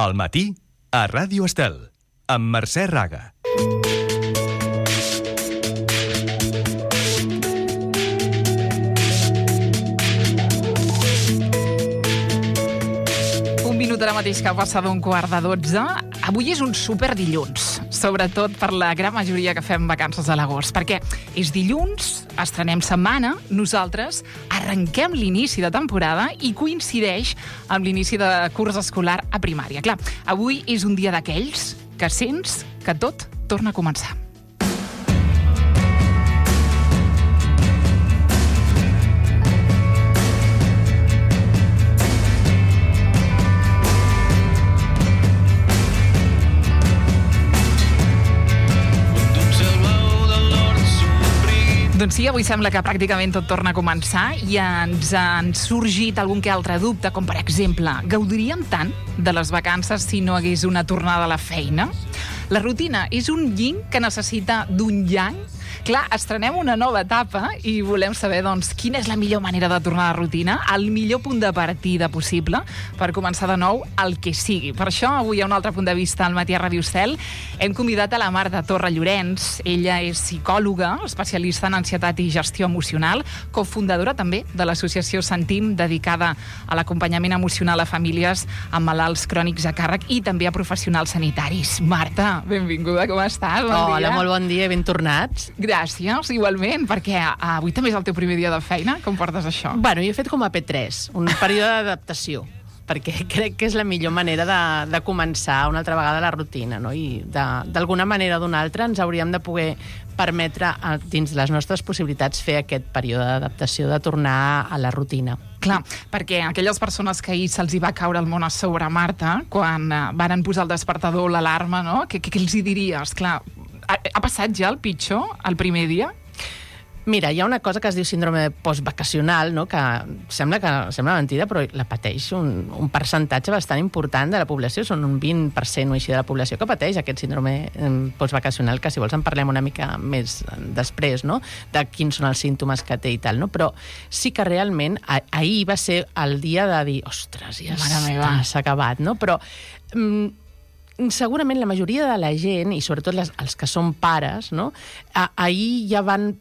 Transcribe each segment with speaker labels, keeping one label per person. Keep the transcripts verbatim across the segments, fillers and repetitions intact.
Speaker 1: Al matí, a Ràdio Estel, amb Mercè Raga.
Speaker 2: Un minut ara mateix que passa d'un quart de dotze. Avui és un super dilluns, sobretot per la gran majoria que fem vacances a l'agost, perquè és dilluns, estrenem setmana, nosaltres arrenquem l'inici de temporada i coincideix amb l'inici de curs escolar a primària. Clar, avui és un dia d'aquells que sents que tot torna a començar. Doncs sí, avui sembla que pràcticament tot torna a començar i ens han sorgit algun que altre dubte, com per exemple, gaudiríem tant de les vacances si no hagués una tornada a la feina? La rutina és un yin que necessita d'un yang? Clar, estrenem una nova etapa i volem saber, doncs, quina és la millor manera de tornar a la rutina, el millor punt de partida possible per començar de nou el que sigui. Per això, avui hi ha un altre punt de vista al matí a Ràdio Estel. Hem convidat a la Marta Torra Llorenç. Ella és psicòloga, especialista en ansietat i gestió emocional, cofundadora també de l'associació Sentim, dedicada a l'acompanyament emocional a famílies amb malalts crònics a càrrec i també a professionals sanitaris. Marta, benvinguda, com estàs? Bon
Speaker 3: Hola,
Speaker 2: dia.
Speaker 3: molt bon dia, ben tornats.
Speaker 2: Gràcies, igualment, perquè avui també és el teu primer dia de feina. Com portes això?
Speaker 3: Bueno, jo he fet com a P tres, un període d'adaptació, perquè crec que és la millor manera de, de començar una altra vegada la rutina, no? I d'alguna manera o d'una altra ens hauríem de poder permetre, dins les nostres possibilitats, fer aquest període d'adaptació, de tornar a la rutina.
Speaker 2: Clar, perquè aquelles persones que ahir se'ls hi va caure el món a sobre, Marta, quan varen posar el despertador o l'alarma, no? Què, què els hi diries? Clar, ha, ha passat ja el pitjor, el primer dia?
Speaker 3: Mira, hi ha una cosa que es diu síndrome postvacacional, no? Que sembla que sembla mentida, però la pateix un, un percentatge bastant important de la població. Són un vint per cent o així de la població que pateix aquest síndrome postvacacional, que si vols en parlem una mica més després, no? De quins són els símptomes que té i tal, no? Però sí que realment ahir va ser el dia de dir, ostres, ja s'ha acabat, no? Però mm, segurament la majoria de la gent, i sobretot les, els que són pares, no? Ahir ja van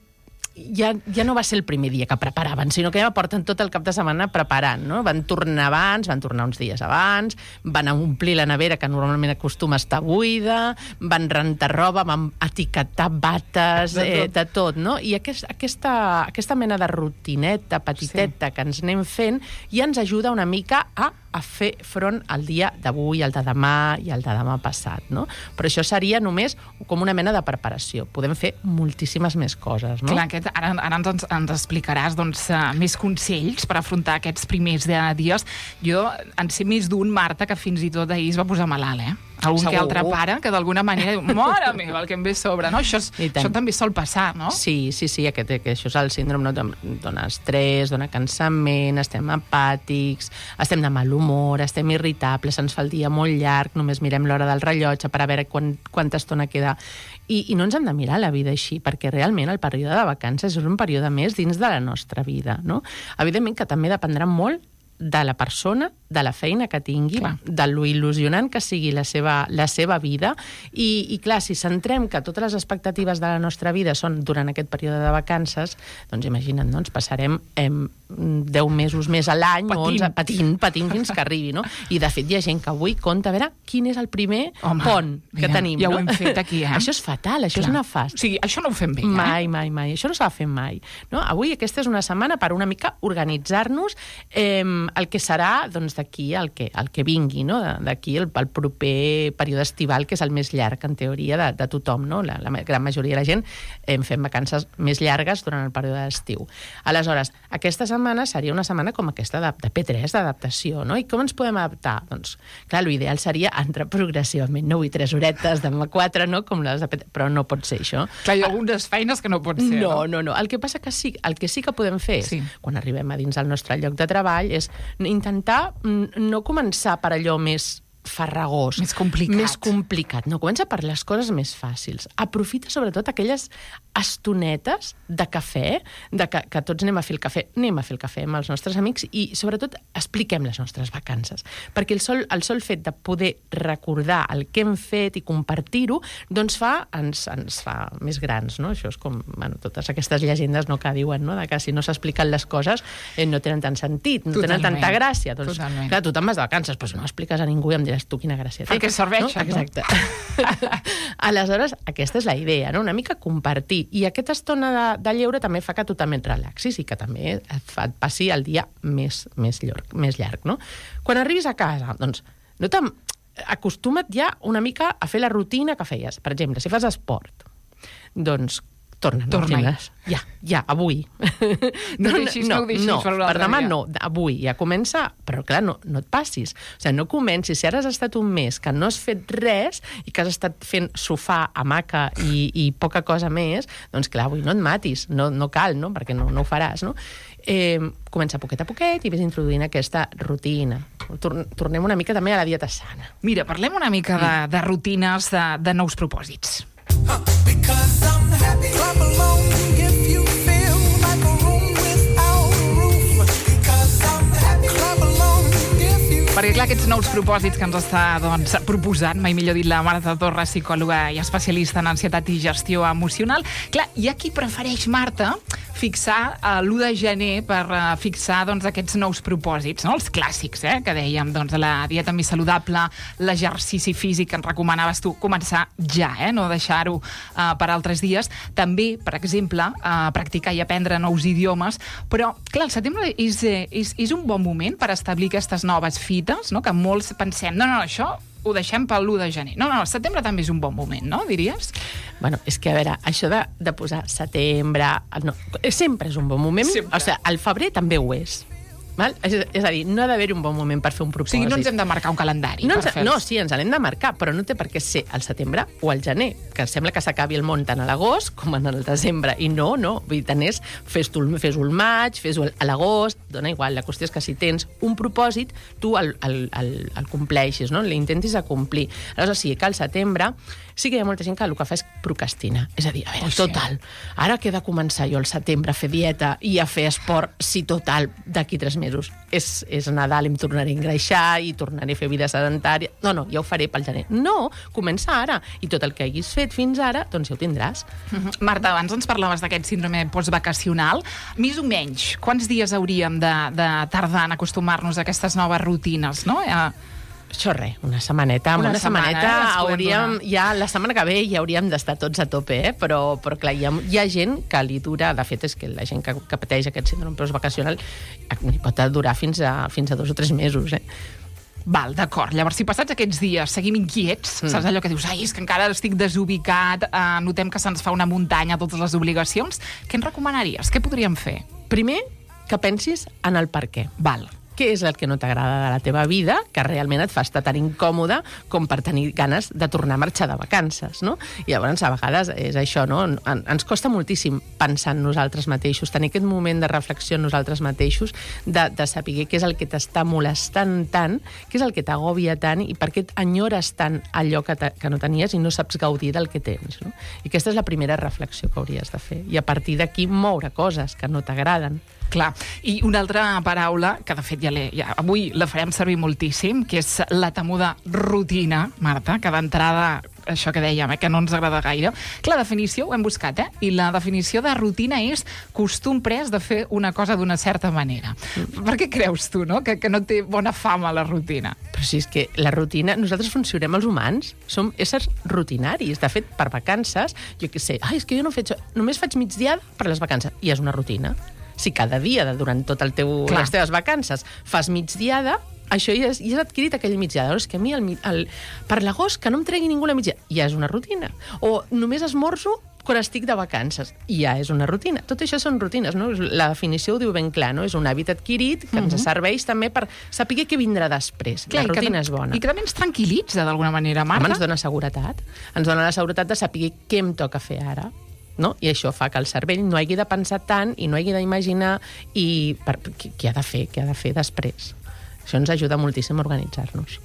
Speaker 3: Ja, ja no va ser el primer dia que preparaven, sinó que ja porten tot el cap de setmana preparant, no? Van tornar abans, van tornar uns dies abans, van omplir la nevera, que normalment acostuma a estar buida, van rentar roba, van etiquetar bates, de tot, eh, de tot, no? I aquest, aquesta, aquesta mena de rutineta petiteta sí. que ens anem fent ja ens ajuda una mica a a fer front al dia d'avui, al de demà i al de demà passat, no? Però això seria només com una mena de preparació. Podem fer moltíssimes més coses, no?
Speaker 2: Clar, aquest, ara, ara ens, ens explicaràs doncs, uh, més consells per afrontar aquests primers dies. Jo en sé més d'un, Marta, que fins i tot ahir es va posar malalt, eh? Algun Segur. Que altre pare que d'alguna manera diu, mare meva, el que em ve sobre, no? Això, és, això també sol passar, no?
Speaker 3: Sí, sí, sí, aquest, que això és el síndrome, no? Dona estrès, dona cansament, estem apàtics, estem de mal humor, estem irritables, ens fa el dia molt llarg, només mirem l'hora del rellotge per a veure quan, quanta estona queda. I, I no ens hem de mirar la vida així, perquè realment el període de vacances és un període més dins de la nostra vida, no? Evidentment que també dependrà molt de la persona, de la feina que tingui, clar. De lo il·lusionant que sigui la seva, la seva vida, i, i clar, si centrem que totes les expectatives de la nostra vida són durant aquest període de vacances, doncs imagina't, no? Ens passarem eh, deu mesos més a l'any, o onze, patint, patint fins que arribi, no? I de fet hi ha gent que avui compta a veure quin és el primer Home, pont que
Speaker 2: mira,
Speaker 3: tenim.
Speaker 2: Ja
Speaker 3: no?
Speaker 2: ho hem fet aquí, eh?
Speaker 3: Això és fatal, això clar. És una fast.
Speaker 2: O sigui, això no ho fem bé, eh?
Speaker 3: Mai, mai, mai. Això no s'ha de fer mai. No? Avui aquesta és una setmana per una mica organitzar-nos eh, el que serà doncs, d'aquí el que, el que vingui, no? D'aquí el, el proper període estival, que és el més llarg, en teoria, de, de tothom. No? La, la gran majoria de la gent eh, fem vacances més llargues durant el període d'estiu. Aleshores, aquesta setmana seria una setmana com aquesta de, de P tres, d'adaptació. No? I com ens podem adaptar? Doncs, clar, l'ideal seria entrar progressivament. No vull tres horetes, demà quatre, no? Com les de P tres, però no pot ser això.
Speaker 2: Clar, hi ha algunes feines que no pot ser,
Speaker 3: no?
Speaker 2: No,
Speaker 3: no, no. El que passa que sí, el que sí que podem fer
Speaker 2: sí.
Speaker 3: és, quan arribem a dins del nostre lloc de treball, és intentar no començar per allò més farragós.
Speaker 2: Més complicat.
Speaker 3: Més complicat. No, comença per les coses més fàcils. Aprofita sobretot aquelles estonetes de cafè, de que, que tots anem a fer el cafè, anem a fer el cafè amb els nostres amics i, sobretot, expliquem les nostres vacances. Perquè el sol, el sol fet de poder recordar el que hem fet i compartir-ho, doncs fa, ens, ens fa més grans, no? Això és com, bueno, totes aquestes llegendes no, que diuen, no? De que si no s'expliquen les coses eh, no tenen tant sentit, no Totalment. tenen tanta gràcia. Doncs, Totalment. Clar, tu te'n vas de vacances, però si no expliques a ningú i em diràs tu quina gràcia té.
Speaker 2: Perquè serveixen.
Speaker 3: No? Exacte. Aleshores, aquesta és la idea, no? Una mica compartir. I aquesta estona de, de lleure també fa que tu també et relaxis i que també et, fa, et passi el dia més, més, llarg, més llarg, no? Quan arribis a casa, doncs, no acostuma't ja una mica a fer la rutina que feies. Per exemple, si fas esport, doncs torna,
Speaker 2: Torna
Speaker 3: ja, ja, avui.
Speaker 2: No, no deixis, no, no ho deixis
Speaker 3: no,
Speaker 2: per un altre
Speaker 3: per demà
Speaker 2: dia.
Speaker 3: no, avui, ja comença, però clar, no, no et passis. O sigui, no comencis, si ara has estat un mes que no has fet res i que has estat fent sofà, hamaca i, i poca cosa més, doncs clar, avui no et matis, no, no cal, no? Perquè no, no ho faràs, no? Eh, comença poquet a poquet i ves introduint aquesta rutina. Tornem una mica també a la dieta sana.
Speaker 2: Mira, parlem una mica de, de rutines, de, de nous propòsits.
Speaker 4: Because I'm happy. Clap along if you feel like a room without a roof. Because I'm happy. Clap along if you...
Speaker 2: Perquè, clar, aquests nous propòsits que ens està doncs, proposant, mai millor dit, la Marta Torres, psicòloga i especialista en ansietat i gestió emocional. Clar, hi ha qui prefereix, Marta, fixar uh, l'u de gener per uh, fixar doncs, aquests nous propòsits, no? Els clàssics, eh? Que dèiem, doncs, la dieta més saludable, l'exercici físic que ens recomanaves tu, començar ja, eh? No deixar-ho uh, per altres dies. També, per exemple, uh, practicar i aprendre nous idiomes, però, clar, el setembre és, és, és un bon moment per establir aquestes noves fites, no? Que molts pensem, no, no, això ho deixem per l'u de gener. No, no, el setembre també és un bon moment, no, diries?
Speaker 3: Bueno, és que, a veure, això de, de posar setembre... No, sempre és un bon moment. Sempre. O sigui, el febrer també ho és. Val? És, és a dir, no ha d'haver un bon moment per fer un propòsit.
Speaker 2: O sigui, no ens hem de marcar un calendari.
Speaker 3: No,
Speaker 2: per
Speaker 3: ens, no sí, ens l'hem de marcar, però no té per què ser al setembre o al gener, que sembla que s'acabi el món tant a l'agost com en el desembre. I no, no. Vull dir, tant és, fes-ho fes al maig, fes-ho a l'agost, dona igual. La qüestió és que si tens un propòsit, tu el, el, el, el compleixis, no? L'intentis a complir. Aleshores, sí, que al setembre sí que hi ha molta gent que el que fa és procrastinar. És a dir, a veure, oh, total, sí. Ara que he de començar jo al setembre a fer dieta i a fer esport, si total, d'aquí tres mesos és, és Nadal i em tornaré a engreixar i tornaré a fer vida sedentària. No, no, ja ho faré pel gener. No, comença ara. I tot el que hagis fet fins ara, doncs ja ho tindràs.
Speaker 2: Mm-hmm. Marta, abans ens parlaves d'aquest síndrome postvacacional. Més o menys, quants dies hauríem de, de tardar en acostumar-nos a aquestes noves rutines, no? Eh...
Speaker 3: Això res, una setmaneta. Amb una, una setmaneta setmana, eh, hauríem, ja la setmana que ve ja hauríem d'estar tots a tope, eh? però, però clar, hi ha, hi ha gent que li dura, de fet és que la gent que, que pateix aquest síndrome postvacacional li pot durar fins a, fins a dos o tres mesos, eh?
Speaker 2: Val, d'acord. Llavors, si passats aquests dies seguim inquiets, mm. saps allò que dius, ai, és que encara estic desubicat, eh, notem que se'ns fa una muntanya totes les obligacions, què ens recomanaries? Què podríem fer?
Speaker 3: Primer, que pensis en el per què.
Speaker 2: Val.
Speaker 3: Què és el que no t'agrada de la teva vida, que realment et fa estar tan incòmode com per tenir ganes de tornar a marxar de vacances, no? I llavors, a vegades, és això, no? En, ens costa moltíssim pensar en nosaltres mateixos, tenir aquest moment de reflexió en nosaltres mateixos, de, de saber què és el que t'està molestant tant, què és el que t'agòbia tant i per què enyores tant allò que, que no tenies i no saps gaudir del que tens, no? I aquesta és la primera reflexió que hauries de fer. I a partir d'aquí moure coses que no t'agraden.
Speaker 2: Clar. I una altra paraula, que de fet ja, ja avui la farem servir moltíssim, que és la temuda rutina, Marta, que d'entrada, això que dèiem, eh, que no ens agrada gaire. Clar, la definició ho hem buscat, eh? I la definició de rutina és costum pres de fer una cosa d'una certa manera. Mm. Per què creus tu, no?, que, que no té bona fama la rutina?
Speaker 3: Però si és que la rutina... Nosaltres funcionem els humans, som éssers rutinaris. De fet, per vacances, jo què sé, ai, és que jo no faig... Només faig migdiada per les vacances. I és una rutina. Si cada dia, durant tot el teu, les teves vacances, fas migdiada, això ja, és, ja has adquirit aquell migdiada. És que a mi, el, el, per l'agost, que no em tregui ningú la migdiada, ja és una rutina. O només esmorzo quan estic de vacances, ja és una rutina. Tot això són rutines, no? La definició ho diu ben clar, no? És un hàbit adquirit que ens serveix també per saber què vindrà després. Clar, la rutina
Speaker 2: que,
Speaker 3: és bona.
Speaker 2: I que també ens tranquil·litza d'alguna manera, Marta.
Speaker 3: Home, ens dona seguretat. Ens dona la seguretat de saber què em toca fer ara. No? I això fa que el cervell no hagi de pensar tant i no hagi d'imaginar i per, què ha de fer, què ha de fer després. Això ens ajuda moltíssim a organitzar-nos.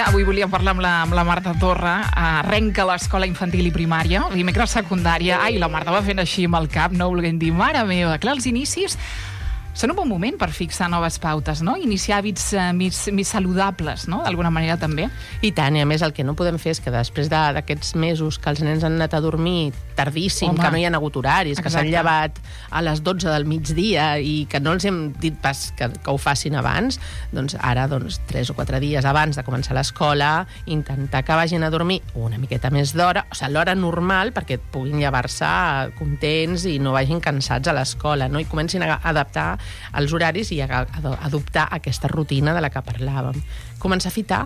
Speaker 2: avui volíem parlar amb la, amb la Marta Torra. Arrenca l'escola infantil i primària, dimecres secundària. Ai, la Marta va fent així amb el cap, no volguem dir, mare meva. Clar, els inicis són un bon moment per fixar noves pautes, no? Iniciar hàbits eh, més, més saludables, no? D'alguna manera també.
Speaker 3: I tant, i a més el que no podem fer és que després de- d'aquests mesos que els nens han anat a dormir tardíssim,
Speaker 2: Home.
Speaker 3: que no hi ha hagut horaris, que s'han
Speaker 2: Exacte.
Speaker 3: llevat a les dotze del migdia i que no els hem dit pas que, que ho facin abans, doncs ara, doncs, tres o quatre dies abans de començar l'escola, intentar que vagin a dormir una miqueta més d'hora, o sigui, l'hora normal, perquè puguin llevar-se contents i no vagin cansats a l'escola, no? I comencin a adaptar els horaris i a, a adoptar aquesta rutina de la que parlàvem. Començar a fitar,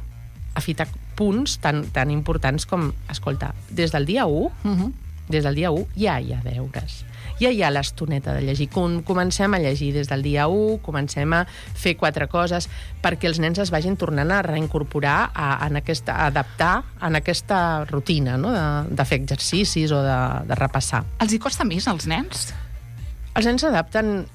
Speaker 3: a fitar punts tan, tan importants com, escolta, des del dia u,
Speaker 2: Uh-huh.
Speaker 3: des del dia u ja hi ha deures. Ja hi ha l'estoneta de llegir. Com, comencem a llegir des del dia u, comencem a fer quatre coses perquè els nens es vagin tornant a reincorporar, a, en aquesta, a adaptar en aquesta rutina, no? de, de fer exercicis o de, de repassar.
Speaker 2: Els hi costa més als nens?
Speaker 3: Els nens s'adapten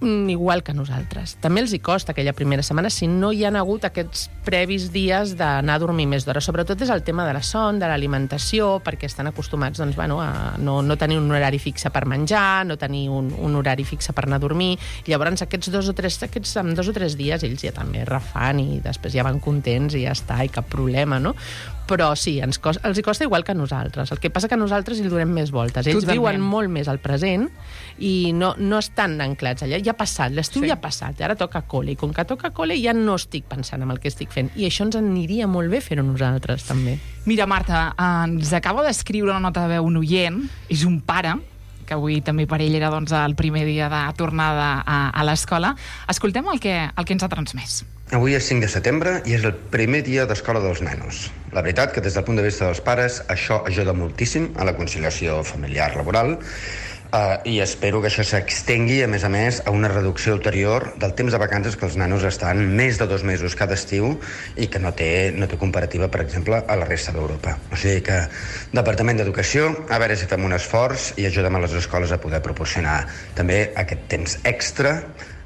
Speaker 3: mm, igual que nosaltres. També els hi costa aquella primera setmana si no hi han hagut aquests previs dies d'anar a dormir més d'hora. Sobretot és el tema de la son, de l'alimentació, perquè estan acostumats doncs, bueno, a no, no tenir un horari fixe per menjar, no tenir un, un horari fixe per anar a dormir. Llavors aquests dos o tres, aquests, en dos o tres dies ells ja també refan i després ja van contents i ja està, i cap problema, no? Però sí, ens costa, els hi costa igual que a nosaltres. El que passa que nosaltres hi donem més voltes. Ells
Speaker 2: Totalment.
Speaker 3: viuen molt més al present i no, no estan anclats allà. Ja ha passat, l'estiu
Speaker 2: Sí.
Speaker 3: sí. ja ha passat, ara toca col·le. I com que toca col·le ja no estic pensant en el que estic fent. I això ens aniria molt bé fer-ho nosaltres, també.
Speaker 2: Mira, Marta, ens acaba d'escriure una nota de veu un oient, és un pare, que avui també per ell era doncs, el primer dia de tornada a, a l'escola. Escoltem el que, el que ens ha transmès.
Speaker 5: Avui és cinc de setembre i és el primer dia d'escola dels nanos. La veritat que des del punt de vista dels pares això ajuda moltíssim a la conciliació familiar-laboral eh, i espero que això s'extengui, a més a més, a una reducció ulterior del temps de vacances que els nanos estan més de dos mesos cada estiu i que no té, no té comparativa, per exemple, a la resta d'Europa. O sigui que, Departament d'Educació, a veure si fem un esforç i ajudem a les escoles a poder proporcionar també aquest temps extra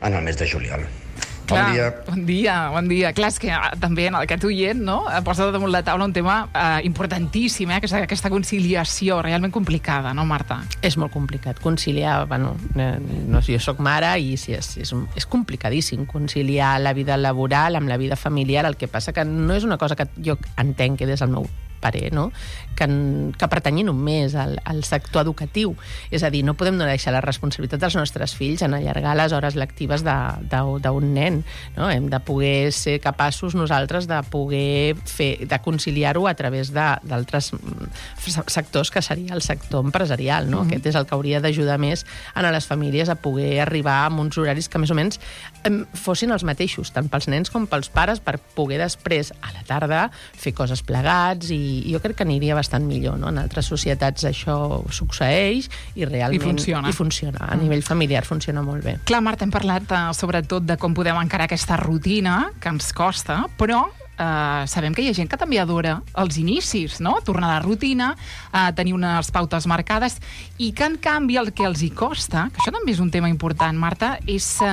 Speaker 5: en el mes de juliol. Bon
Speaker 2: Clar,
Speaker 5: dia.
Speaker 2: Bon dia, bon dia. Clar, és que ah, també en aquest oient no, posa damunt la taula un tema eh, importantíssim, eh, que és aquesta conciliació realment complicada, no, Marta?
Speaker 3: És molt complicat. Conciliar, bueno, eh, no sé, jo soc mare i sí, és, és, és complicadíssim conciliar la vida laboral amb la vida familiar. El que passa que no és una cosa que jo entenc que des del meu parer, no? que, que pertanyi només al, al sector educatiu. És a dir, no podem no deixar la responsabilitat dels nostres fills en allargar les hores lectives d'un nen. No? Hem de poder ser capaços nosaltres de poder fer, de conciliar-ho a través d'altres sectors, que seria el sector empresarial. No? Mm-hmm. Aquest és el que hauria d'ajudar més a les famílies a poder arribar a uns horaris que més o menys fossin els mateixos, tant pels nens com pels pares, per poder després, a la tarda, fer coses plegats, i jo crec que aniria bastant millor, no? En altres societats això succeeix i realment...
Speaker 2: I funciona.
Speaker 3: I funciona. A nivell familiar funciona molt bé.
Speaker 2: Clar, Marta, hem parlat eh, sobretot de com podem encarar aquesta rutina, que ens costa, però eh, sabem que hi ha gent que també adora els inicis, no? Tornar a la rutina, eh, tenir unes pautes marcades, i que, en canvi, el que els hi costa, que això també és un tema important, Marta, és eh,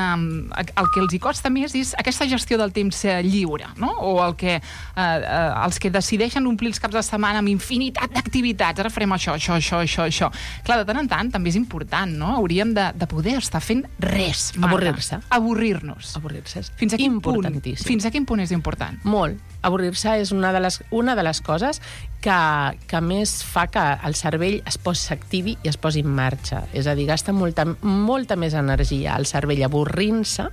Speaker 2: el que els hi costa més és aquesta gestió del temps eh, lliure, no? O el que, eh, eh, els que decideixen omplir els caps de setmana amb infinitat d'activitats. Ara farem això, això, això, això, això. Clar, de tant en tant també és important, no? Hauríem de, de poder estar fent res, Marta.
Speaker 3: Avorrir-se.
Speaker 2: Avorrir-nos.
Speaker 3: Avorrir-se és
Speaker 2: Fins a quin punt?
Speaker 3: importantíssim.
Speaker 2: Fins a quin punt és important?
Speaker 3: Molt. Avorrir-se és una de les, una de les coses que, que més fa que el cervell es posi s'activi i es posi en marxa. És a dir, gasta molta, molta més energia el cervell avorrint-se,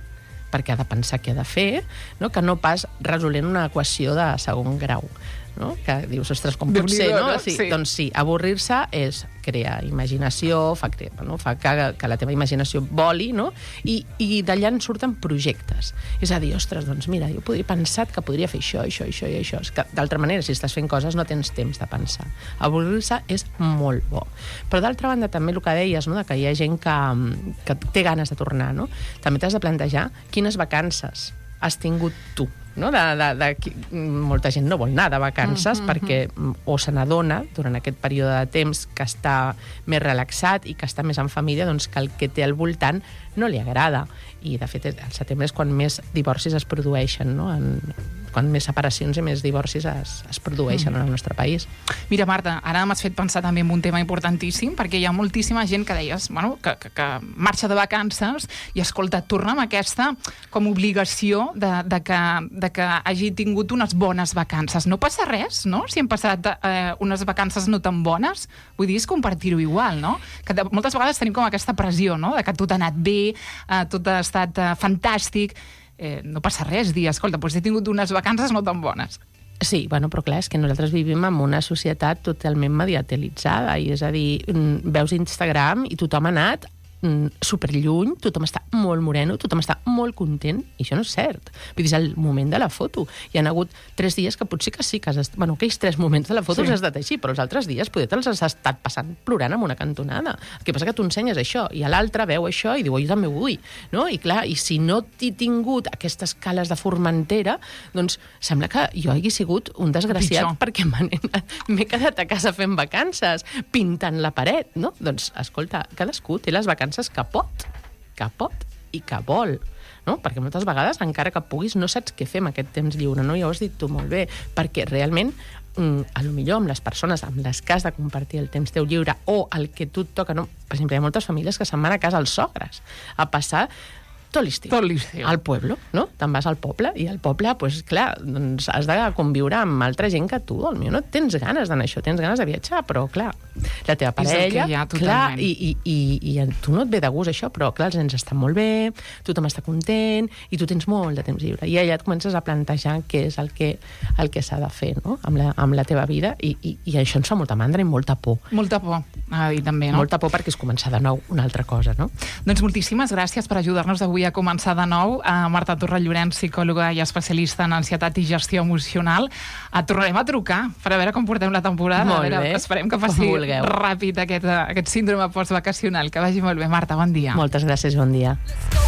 Speaker 3: perquè ha de pensar què ha de fer, no? Que no pas resolent una equació de segon grau. No? Que dius, ostres, com pot ser, no? Sí, sí. Doncs sí, avorrir-se és crear imaginació, fa, crear, no? fa que, que la teva imaginació voli, no? I, i d'allà en surten projectes. És a dir, ostres, doncs mira, jo podria pensar que podria fer això, això, això i això. És que, d'altra manera, si estàs fent coses, no tens temps de pensar. Avorrir-se és molt bo. Però d'altra banda, també el que deies, no? De que hi ha gent que, que té ganes de tornar, no? També t'has de plantejar quines vacances has tingut tu no? De, de, de, molta gent no vol anar de vacances mm -hmm. perquè o se n'adona durant aquest període de temps que està més relaxat i que està més en família, doncs que el que té al voltant no li agrada. I, de fet, al setembre és quan més divorcis es produeixen, no? En, quan més separacions i més divorcis es, es produeixen mm. en el nostre país.
Speaker 2: Mira, Marta, ara m'has fet pensar també en un tema importantíssim, perquè hi ha moltíssima gent que deies, bueno, que, que, que marxa de vacances i, escolta, torna amb aquesta com obligació de, de, que, de que hagi tingut unes bones vacances. No passa res, no?, si hem passat eh, unes vacances no tan bones. Vull dir, és compartir-ho igual, no? Que de, moltes vegades tenim com aquesta pressió, no?, de que tot ha anat bé, eh, tot ha estat eh, fantàstic. Eh, no passa res, dir, escolta, doncs he tingut unes vacances no tan bones.
Speaker 3: Sí, bueno, però clar, és que nosaltres vivim en una societat totalment mediatilitzada, i és a dir, veus Instagram i tothom ha anat superlluny, tothom està molt moreno, tothom està molt content, i això no és cert. Vull dir, és el moment de la foto. Hi ha hagut tres dies que potser que sí, que has est... bueno, aquells tres moments de la foto sí. els has estat així, però els altres dies poder te'ls has estat passant plorant amb una cantonada. El que passa que tu ensenyes això, i l'altre veu això i diu, jo també ho vull, no? I clar, i si no t'he tingut aquestes cales de Formentera, doncs sembla que jo hagi sigut un desgraciat Pitjor. perquè m'he quedat a casa fent vacances, pintant la paret, no? Doncs, escolta, cadascú té les vacances que pot, que pot i que vol, no? Perquè moltes vegades, encara que puguis, no saps què fer amb aquest temps lliure, no? Ja ho has dit tu molt bé, perquè realment, mm, a lo millor amb les persones amb les que has de compartir el temps teu lliure o el que tu et toca, no? Per exemple, hi ha moltes famílies que se'n van a casa als sogres a passar tot l'estiu.
Speaker 2: Tot l'estiu.
Speaker 3: Al pueblo, no? Te'n vas al poble, i al poble, doncs, clar, doncs has de conviure amb altra gent que tu. Potser no tens ganes d'anar això, tens ganes de viatjar, però, clar, la teva parella...
Speaker 2: Ha,
Speaker 3: clar, i, i, i, i a tu no et ve de gust això, però, clar, els nens estan molt bé, tothom està content, i tu tens molt de temps lliure. I allà et comences a plantejar què és el que, el que s'ha de fer, no?, amb la, amb la teva vida, i, i, i això ens fa molta mandra i molta por.
Speaker 2: Molta por, ha dit també, no?
Speaker 3: Molta por perquè és començar de nou una altra cosa, no?
Speaker 2: Doncs moltíssimes gràcies per ajudar-nos avui a començar de nou. A Marta Torrent Llorenç, psicòloga i especialista en ansietat i gestió emocional. A tornarem a trucar per a veure com portem la temporada.
Speaker 3: Molt
Speaker 2: a veure,
Speaker 3: bé.
Speaker 2: Esperem que passi ràpid aquest, aquest síndrome postvacacional. Que vagi molt bé, Marta, bon dia.
Speaker 3: Moltes gràcies, bon dia.
Speaker 4: Let's go.